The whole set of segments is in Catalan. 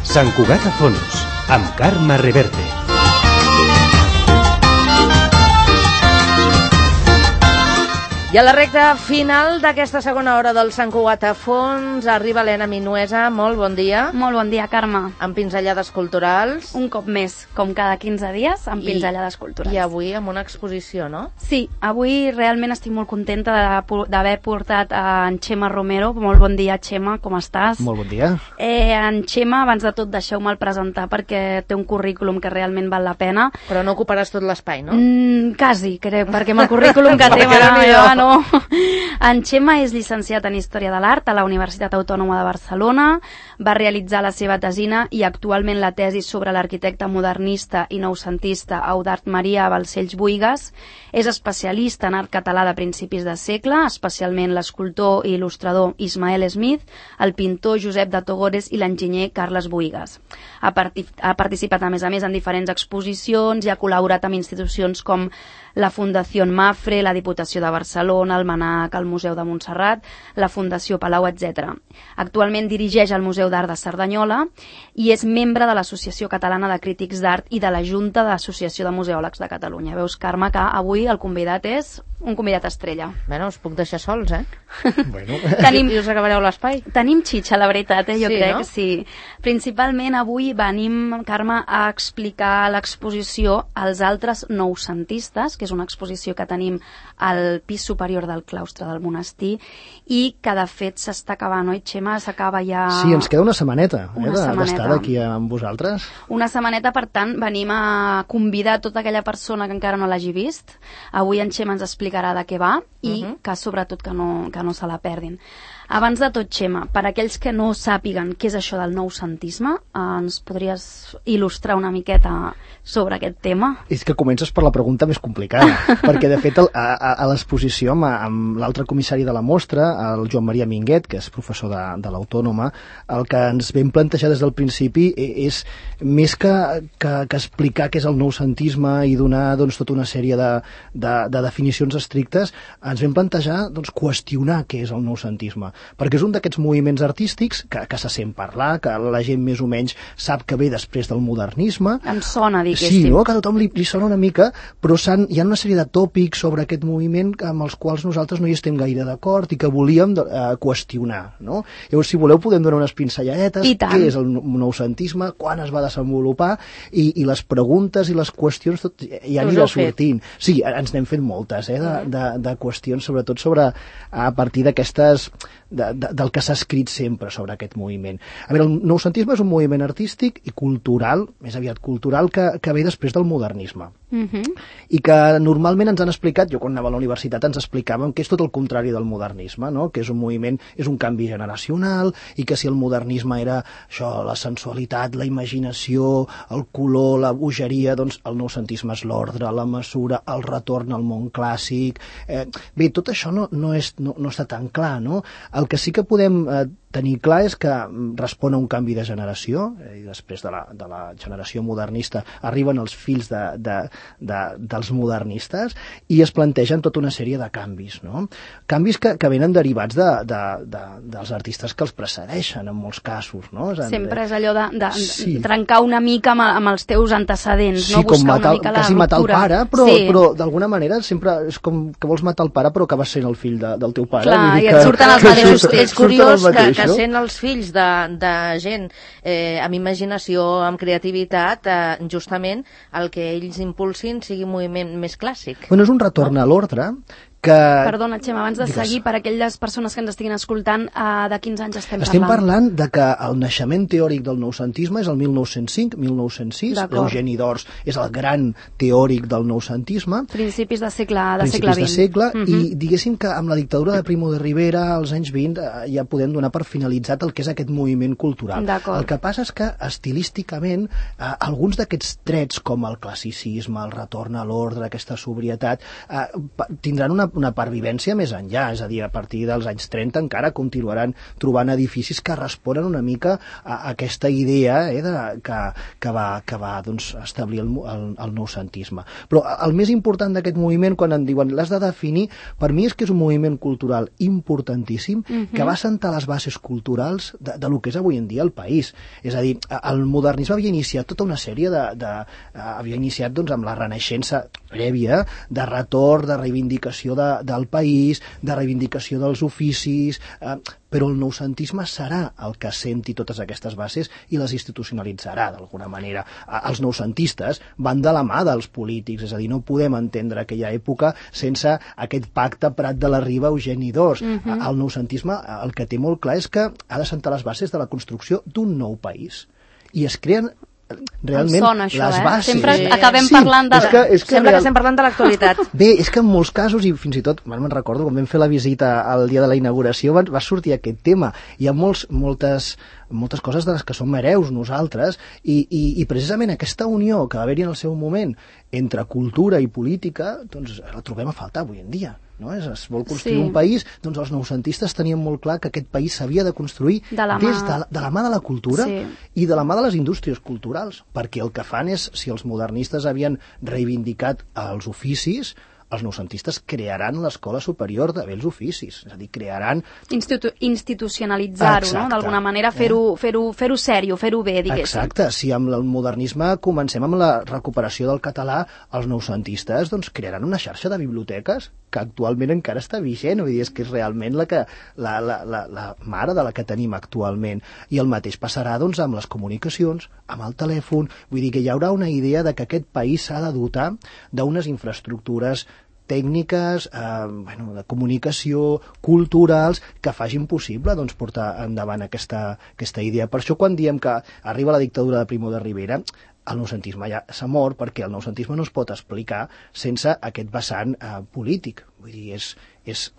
Sant Cugat a fons, amb Carme Reverte. I a la recta final d'aquesta segona hora del Sant Cugat a fons arriba l'Helena Minuesa. Molt bon dia. Molt bon dia, Carme. Amb pinzellades culturals. Un cop més, com cada 15 dies, amb pinzellades culturals. I avui amb una exposició, no? Sí, avui realment estic molt contenta d'haver portat en Xema Romero. Molt bon dia, Xema, com estàs? Molt bon dia. En Xema, abans de tot, deixeu-me'l presentar perquè té un currículum que realment val la pena. Però no ocuparàs tot l'espai, no? Quasi, crec, perquè amb el currículum que té... No. En Xema és llicenciat en Història de l'Art a la Universitat Autònoma de Barcelona, va realitzar la seva tesina i actualment la tesi sobre l'arquitecte modernista i noucentista Eudald Maria Balcells Buïgas. És especialista en art català de principis de segle, especialment l'escultor i il·lustrador Ismael Smith, el pintor Josep de Togores i l'enginyer Carles Buïgas. Ha participat, a més, en diferents exposicions i ha col·laborat amb institucions com la Fundació Mafre, la Diputació de Barcelona, el MNAC, el Museu de Montserrat, la Fundació Palau, etc. Actualment dirigeix el Museu d'Art de Cerdanyola i és membre de l'Associació Catalana de Crítics d'Art i de la Junta de l'Associació de Museòlegs de Catalunya. Veus, Carme, que avui el convidat és un convidat estrella. Bueno, us puc deixar sols, eh? Bueno. I us acabareu l'espai. Tenim xitxa, la veritat, jo crec, no? Sí. Principalment avui venim, Carme, a explicar l'exposició als altres noucentistes, que és una exposició que tenim al pis superior del claustre del monestir i que de fet s'està acabant, oi, Xema? S'acaba ja... Sí, ens queda una setmaneta, setmaneta d'estar aquí amb vosaltres. Una setmaneta, per tant, venim a convidar tota aquella persona que encara no l'hagi vist. Avui en Xema ens explicarà de què va i que sobretot que no se la perdin. Abans de tot, Xema, per aquells que no sàpiguen què és això del noucentisme, ens podries il·lustrar una miqueta sobre aquest tema? És que comences per la pregunta més complicada, perquè de fet a l'exposició amb l'altre comissari de la mostra, el Joan Maria Minguet, que és professor de l'Autònoma, el que ens vam plantejar des del principi és més que explicar què és el noucentisme i donar tota una sèrie de definicions estrictes, ens vam plantejar qüestionar què és el noucentisme, perquè és un d'aquests moviments artístics que se sent parlar, que la gent més o menys sap que ve després del modernisme. Em sona, diguéssim. Sí, no? Que a tothom li sona una mica, però hi ha una sèrie de tòpics sobre aquest moviment amb els quals nosaltres no hi estem gaire d'acord i que volíem qüestionar, no? Llavors, si voleu, podem donar unes pincelladetes. Què és el noucentisme, quan es va desenvolupar i les preguntes i les qüestions tot ja anirà sortint. Sí, ens n'hem fet moltes, de qüestions, sobretot a partir d'aquestes del que s'ha escrit sempre sobre aquest moviment. A veure, el noucentisme és un moviment artístic i cultural, més aviat cultural, que ve després del modernisme. I que normalment ens han explicat, jo quan anava a la universitat ens explicàvem que és tot el contrari del modernisme, no? Que és un moviment, és un canvi generacional i que si el modernisme era això, la sensualitat, la imaginació, el color, la bogeria, doncs el noucentisme és l'ordre, la mesura, el retorn al món clàssic. Bé, tot això no està tan clar, no? El que sí que podem tenir clar és que respon a un canvi de generació i després de la generació modernista arriben els fills dels modernistes i es plantegen tota una sèrie de canvis, no? Canvis que venen derivats dels artistes que els precedeixen en molts casos, no? Sempre és allò de trencar una mica amb els teus antecedents, no? Buscar una mica la ruptura. Quasi matar el pare, però d'alguna manera sempre és com que vols matar el pare però acabes sent el fill del teu pare. Clar, i et surten els mateixos. És curiós que sent els fills de gent amb imaginació, amb creativitat, justament el que ells impulsin sigui un moviment més clàssic. Bueno, és un retorn a l'ordre Perdona, Xema, abans de seguir, per aquelles persones que ens estiguin escoltant, de quins anys estem parlant? Estem parlant de que el naixement teòric del noucentisme és el 1905-1906. Eugeni d'Ors és el gran teòric del noucentisme. Principis de segle XX. I diguéssim que amb la dictadura de Primo de Rivera, als anys 20, ja podem donar per finalitzat el que és aquest moviment cultural. El que passa és que, estilísticament, alguns d'aquests trets, com el classicisme, el retorn a l'ordre, aquesta sobrietat, tindran una una pervivència més enllà, és a dir, a partir dels anys 30 encara continuaran trobant edificis que responen una mica a aquesta idea que va doncs, establir el noucentisme. Però el més important d'aquest moviment, quan en diuen l'has de definir, per mi és que és un moviment cultural importantíssim que va assentar les bases culturals de lo que és avui en dia el país. És a dir, el modernisme havia iniciat tota una sèrie havia iniciat doncs, amb la Renaixença prèvia, de retorn, de reivindicació del país, de reivindicació dels oficis, però el noucentisme serà el que assenti totes aquestes bases i les institucionalitzarà d'alguna manera. Els noucentistes van de la mà dels polítics, és a dir, no podem entendre aquella època sense aquest pacte Prat de la Riba, Eugeni d'Ors. El noucentisme el que té molt clar és que ha d'assentar les bases de la construcció d'un nou país. I es creen realment sona, això, les bases. Sempre acabem parlant de... Sembla que estem parlant de l'actualitat. Bé, és que en molts casos, i fins i tot, me'n recordo, quan vam fer la visita al dia de la inauguració, va sortir aquest tema. Hi ha moltes coses de les que som hereus nosaltres, i precisament aquesta unió que va haver-hi en el seu moment entre cultura i política, doncs la trobem a faltar avui en dia. No? Es vol construir un país, doncs els noucentistes tenien molt clar que aquest país s'havia de construir de la mà de la cultura i de la mà de les indústries culturals, perquè el que fan és, si els modernistes havien reivindicat els oficis, els noucentistes crearan l'Escola Superior de Bells Oficis, és a dir, crearan... Institucionalitzar-ho, no? D'alguna manera fer-ho sèrio, fer-ho bé, diguéssim. Exacte, si amb el modernisme comencem amb la recuperació del català, els noucentistes doncs, crearan una xarxa de biblioteques que actualment encara està vigent, vull dir, és que és realment la mare de la que tenim actualment. I el mateix passarà doncs, amb les comunicacions, amb el telèfon, vull dir que hi haurà una idea de que aquest país s'ha de dotar d'unes infraestructures tècniques, de comunicació, culturals, que facin possible doncs, portar endavant aquesta idea. Per això quan diem que arriba la dictadura de Primo de Rivera, el noucentisme ja s'ha mort, perquè el noucentisme no es pot explicar sense aquest vessant polític. Vull dir, és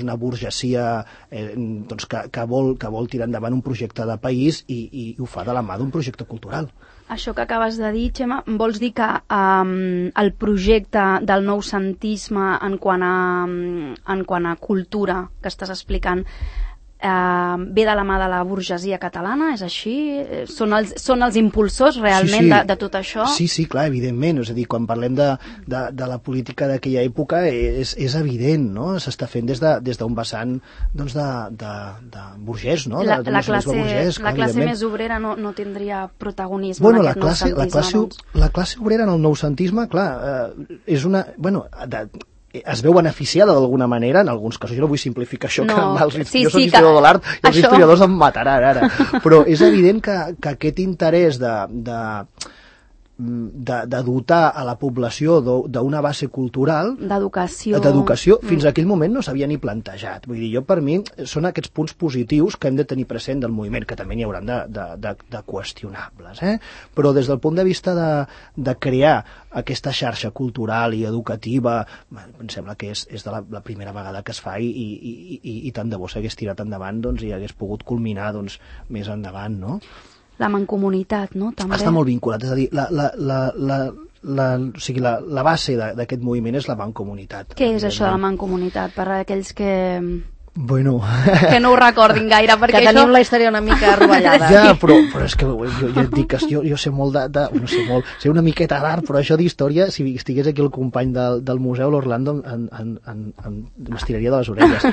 una burgesia doncs, que vol tirar endavant un projecte de país i ho fa de la mà d'un projecte cultural. Això que acabes de dir, Xema, vols dir que el projecte del noucentisme en quant a cultura que estàs explicant ve de la mà de la burgesia catalana, és així? Són els impulsors realment de tot això? Sí, clar, evidentment. És a dir, quan parlem de la política d'aquella època és evident, no? S'està fent des d'un vessant doncs, de burgès, no? La classe més obrera no tindria protagonisme en aquest noucentisme. La classe obrera en el noucentisme, clar, és una... es veu beneficiada d'alguna manera, en alguns casos. Jo no vull simplificar això, jo soc historiador de l'art i els historiadors em mataran ara, però és evident que aquest interès de dotar a la població d'una base cultural d'educació fins a aquell moment no s'havia ni plantejat. Vull dir, per mi són aquests punts positius que hem de tenir present del moviment, que també n'hi hauran de qüestionables, però des del punt de vista de crear aquesta xarxa cultural i educativa, em sembla que és la primera vegada que es fa i tant de bo s'hagués tirat endavant i hagués pogut culminar més endavant, no? La mancomunitat, no? També. Està molt vinculat, és a dir, la base d'aquest moviment és la mancomunitat. Què és això de la mancomunitat, per a aquells que que no ho recordin gaire, perquè que tenim la història una mica rovellada. Ja, però és que jo et dic que jo sé molt no sé molt, sé una miqueta d'art, però això d'història, si estigués aquí el company del museu, l'Orlando, m'estiraria de les orelles.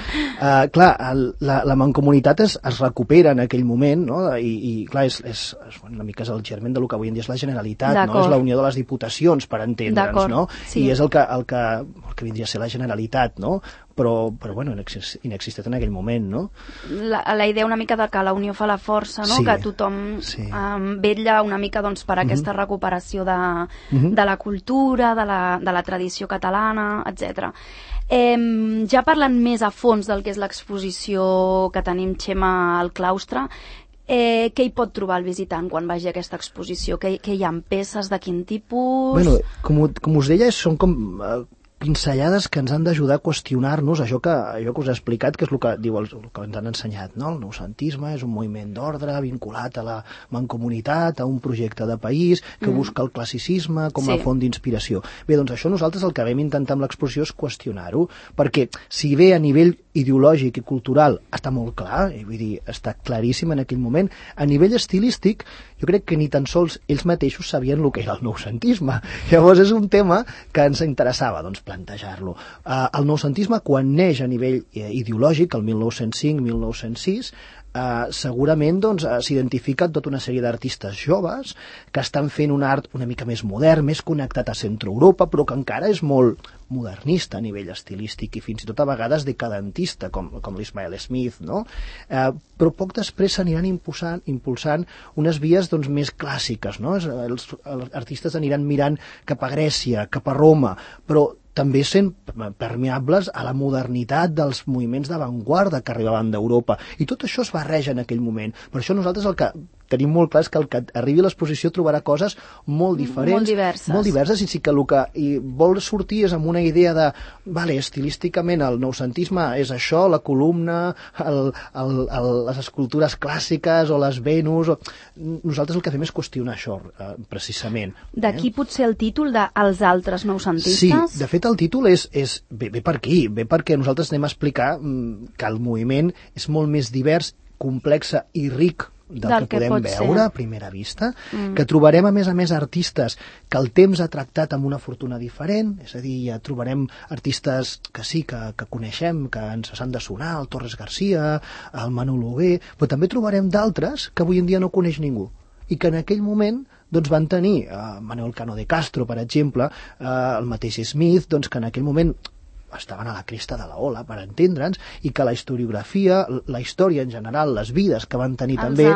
Clar, la mancomunitat es recupera en aquell moment, no? I clar, una mica és el germen del que avui en dia és la Generalitat, no? És la unió de les diputacions, per entendre'ns, no? I és el que vindria a ser la Generalitat, no? Però inexistent en aquell moment, no? La idea una mica de que la unió fa la força, no? Que tothom vetlla una mica per aquesta recuperació de la cultura, de la tradició catalana, etc. Ja parlant més a fons del que és l'exposició que tenim, Xema, al claustre, què hi pot trobar el visitant quan vagi a aquesta exposició? Què hi ha, peces de quin tipus? Com us deia, són com pinzellades que ens han d'ajudar a qüestionar-nos allò que us he explicat, que és el que diu el que ens han ensenyat, no? El noucentisme és un moviment d'ordre vinculat a la mancomunitat, a un projecte de país que busca el classicisme com a font d'inspiració. Bé, doncs això nosaltres el que vam intentar amb l'exposició és qüestionar-ho, perquè si bé a nivell ideològic i cultural està molt clar, vull dir, està claríssim en aquell moment, a nivell estilístic jo crec que ni tan sols ells mateixos sabien el que era el noucentisme. Llavors és un tema que ens interessava, doncs, plantejar-lo. El noucentisme, quan neix a nivell ideològic, el 1905-1906, segurament doncs, s'identifica tota una sèrie d'artistes joves que estan fent un art una mica més modern, més connectat a Centre-Europa, però que encara és molt modernista a nivell estilístic i fins i tot a vegades decadentista, com l'Ismael Smith, no? Però poc després s'aniran impulsant unes vies doncs, més clàssiques, no? Els artistes aniran mirant cap a Grècia, cap a Roma, però també sent permeables a la modernitat dels moviments d'avantguarda que arribaven d'Europa. I tot això es barreja en aquell moment. Per això nosaltres el que tenim molt clar és que el que arribi a l'exposició trobarà coses molt diferents, molt diverses, i sí que el que vol sortir és amb una idea de, vale, estilísticament el noucentisme és això, la columna, les escultures clàssiques o les Venus. Nosaltres el que fem és qüestionar això, precisament. D'aquí potser el títol de Els altres noucentistes? Sí, de fet el títol ve per aquí, ve perquè nosaltres anem a explicar que el moviment és molt més divers, complex i ric del que podem veure a primera vista, que trobarem a més artistes que el temps ha tractat amb una fortuna diferent, és a dir, ja trobarem artistes que sí, que coneixem, que ens han de sonar, el Torres Garcia, el Manolo Hugué, però també trobarem d'altres que avui en dia no coneix ningú i que en aquell moment doncs, van tenir Manuel Cano de Castro, per exemple, el mateix Smith, doncs, que en aquell moment estaven a la cresta de la ola, per entendre'ns, i que la historiografia, la història en general, les vides que van tenir també... Els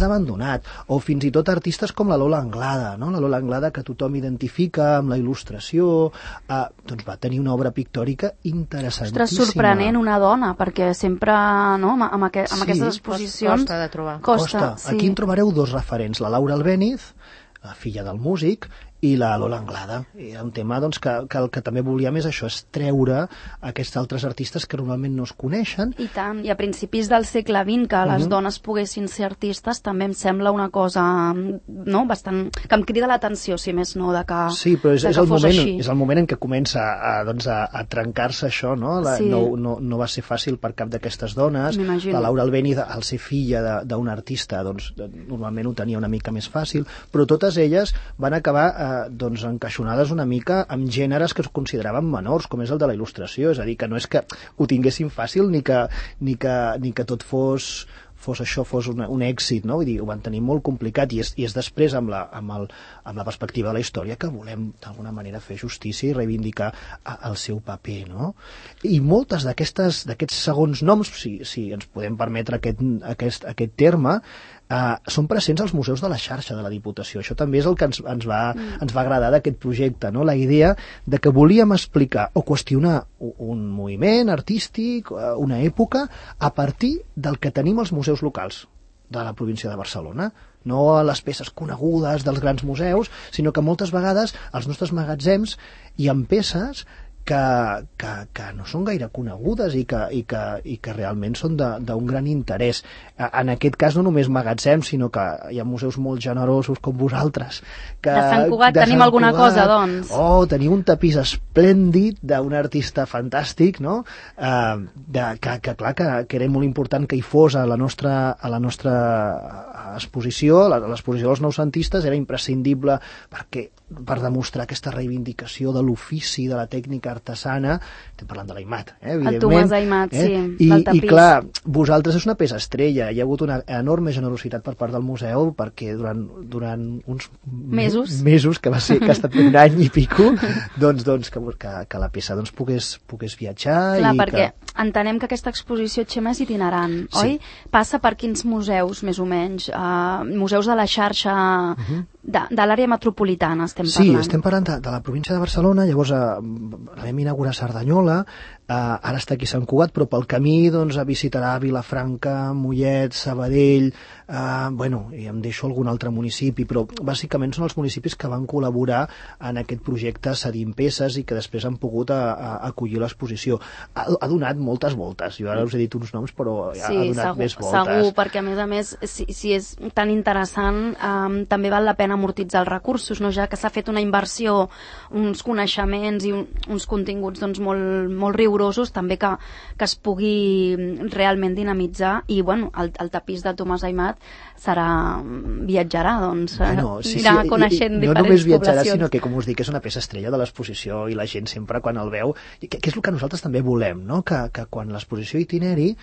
ha abandonat. O fins i tot artistes com la Lola Anglada, no? La Lola Anglada que tothom identifica amb la il·lustració, doncs va tenir una obra pictòrica interessantíssima. Ostres, sorprenent, una dona, perquè sempre, no?, amb aquestes exposicions... Costa de trobar. Costa, sí. Aquí en trobareu dos referents, la Laura Albéniz, la filla del músic, i la Lola Anglada. I era un tema doncs, que el que també volíem és això, és treure aquests altres artistes que normalment no es coneixen. I tant, i a principis del segle XX que les dones poguessin ser artistes també em sembla una cosa, no?, bastant... que em crida l'atenció, si més no, de que sí, però és el moment en què comença a trencar-se això, no? No va ser fàcil per cap d'aquestes dones. La Laura Albéniz, al ser filla d'un artista, doncs normalment ho tenia una mica més fàcil, però totes elles van acabar doncs encaixonades una mica amb gèneres que es consideraven menors, com és el de la il·lustració, és a dir, que no és que ho tinguessin fàcil ni que tot fos un èxit, no? Vull dir, ho van tenir molt complicat i és després amb la perspectiva de la història que volem d'alguna manera fer justícia i reivindicar el seu paper, no? I moltes d'aquests segons noms, si ens podem permetre aquest terme, són presents als museus de la xarxa de la Diputació. Això també és el que ens va agradar d'aquest projecte, no? La idea de que volíem explicar o qüestionar un moviment artístic, una època, a partir del que tenim als museus locals de la província de Barcelona, no a les peces conegudes dels grans museus, sinó que moltes vegades als nostres magatzems hi ha peces que no són gaire conegudes i que realment són d'un gran interès. En aquest cas no només magatzems, sinó que hi ha museus molt generosos com vosaltres. De Sant Cugat tenim alguna cosa, doncs. Tenim un tapís esplèndid d'un artista fantàstic, no? Que clar, que era molt important que hi fos a la nostra exposició, l'exposició dels noucentistes era imprescindible per demostrar aquesta reivindicació de l'ofici, de la tècnica artesana. Estem parlant de l'Aimat, evidentment. El Tomàs Aimat, sí, del tapís. I clar, vosaltres és una peça estrella. Hi ha hagut una enorme generositat per part del museu perquè durant uns mesos que ha estat un any i pico, doncs que la peça pogués viatjar. Clar, perquè entenem que aquesta exposició, Txema, és itinerant, oi? Passa per quins museus, més o menys? Museus de la xarxa de l'àrea metropolitana, estem parlant. Sí, estem parlant de la província de Barcelona, llavors vam inaugurar Cerdanyola, ara està aquí a Sant Cugat, però pel camí doncs, visitarà Vilafranca, Mollet, Sabadell, i em deixo algun altre municipi, però bàsicament són els municipis que van col·laborar en aquest projecte Cedint Peces i que després han pogut acollir l'exposició. Ha donat moltes voltes, jo ara us he dit uns noms, però ha donat més voltes. Segur, perquè a més, si és tan interessant, també val la pena amortitzar els recursos, no? Ja que s'ha fet una inversió, uns coneixements i uns continguts doncs, molt rigorosos, també que es pugui realment dinamitzar i el tapís de Tomàs Aymat viatjarà, doncs, anirà coneixent diferents poblacions. No només viatjarà, sinó que, com us dic, és una peça estrella de l'exposició i la gent sempre quan el veu, que és el que nosaltres també volem, no? Que quan l'exposició itineri,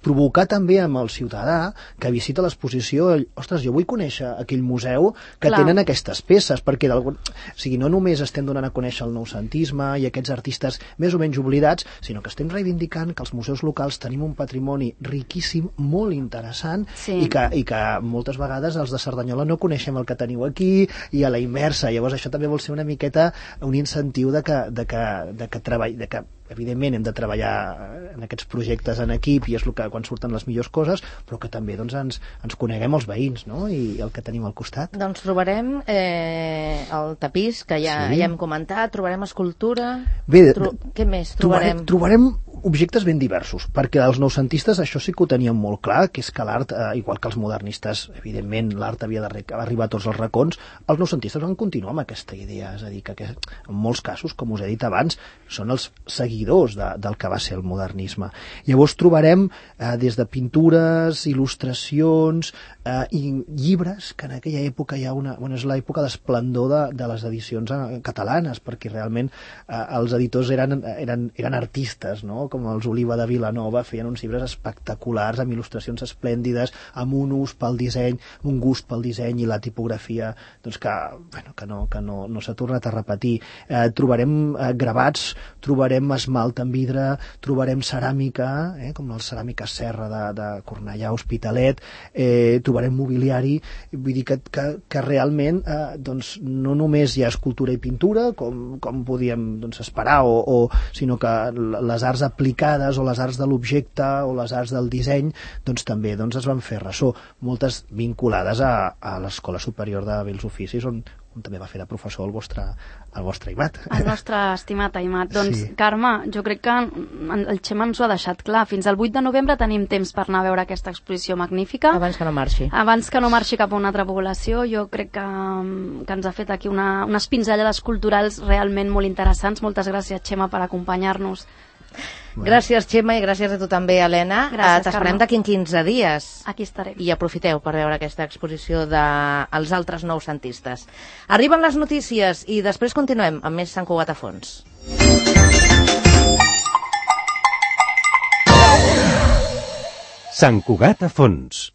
provocar també amb el ciutadà que visita l'exposició, ostres, jo vull conèixer aquell museu que tenen aquestes peces, perquè no només estem donant a conèixer el noucentisme i aquests artistes més o menys oblidats, sinó que estem reivindicant que els museus locals tenim un patrimoni riquíssim, molt interessant, i que moltes vegades els de Cerdanyola no coneixem el que teniu aquí, i a la inversa. Llavors això també vol ser una miqueta un incentiu de que evidentment hem de treballar en aquests projectes en equip i és el que quan surten les millors coses, però que també doncs, ens coneguem els veïns, no? I el que tenim al costat. Doncs trobarem el tapís, que ja hem comentat, trobarem escultura... Bé, què més trobarem? Trobarem objectes ben diversos, perquè els noucentistes això sí que ho tenien molt clar, que és que l'art, igual que els modernistes, evidentment l'art havia d'arribar a tots els racons, els noucentistes van continuar amb aquesta idea, és a dir, que en molts casos, com us he dit abans, són els seguidors del que va ser el modernisme. Llavors trobarem des de pintures, il·lustracions i llibres, que en aquella època hi ha és l'època d'esplendor de les edicions catalanes, perquè realment els editors eren artistes, no? Com els Oliva de Vilanova, feien uns llibres espectaculars, amb il·lustracions esplèndides, amb un ús pel disseny, un gust pel disseny i la tipografia, doncs que no s'ha tornat a repetir. Trobarem gravats, trobarem esmalt en vidre, trobarem ceràmica, com la ceràmica Serra de Cornellà, Hospitalet, trobarem mobiliari, vull dir que realment doncs, no només hi ha escultura i pintura, com podíem esperar, sinó que les arts aplicades o les arts de l'objecte o les arts del disseny doncs també es van fer ressò, moltes vinculades a l'Escola Superior de Bells Oficis on també va fer de professor el vostre Aymat. El nostre estimat Aymat. Doncs, Carme, jo crec que el Xema ens ho ha deixat clar. Fins al 8 de novembre tenim temps per anar a veure aquesta exposició magnífica. Abans que no marxi. Abans que no marxi cap a una altra població. Jo crec que ens ha fet aquí unes pinzellades culturals realment molt interessants. Moltes gràcies, Xema, per acompanyar-nos. Gràcies, Xema, i gràcies a tu també, Helena. T'esperem d'aquí en 15 dies. Aquí estarem. I aprofiteu per veure aquesta exposició dels altres noucentistes. Arriben les notícies i després continuem amb més Sant Cugat a fons. Sant Cugat a fons.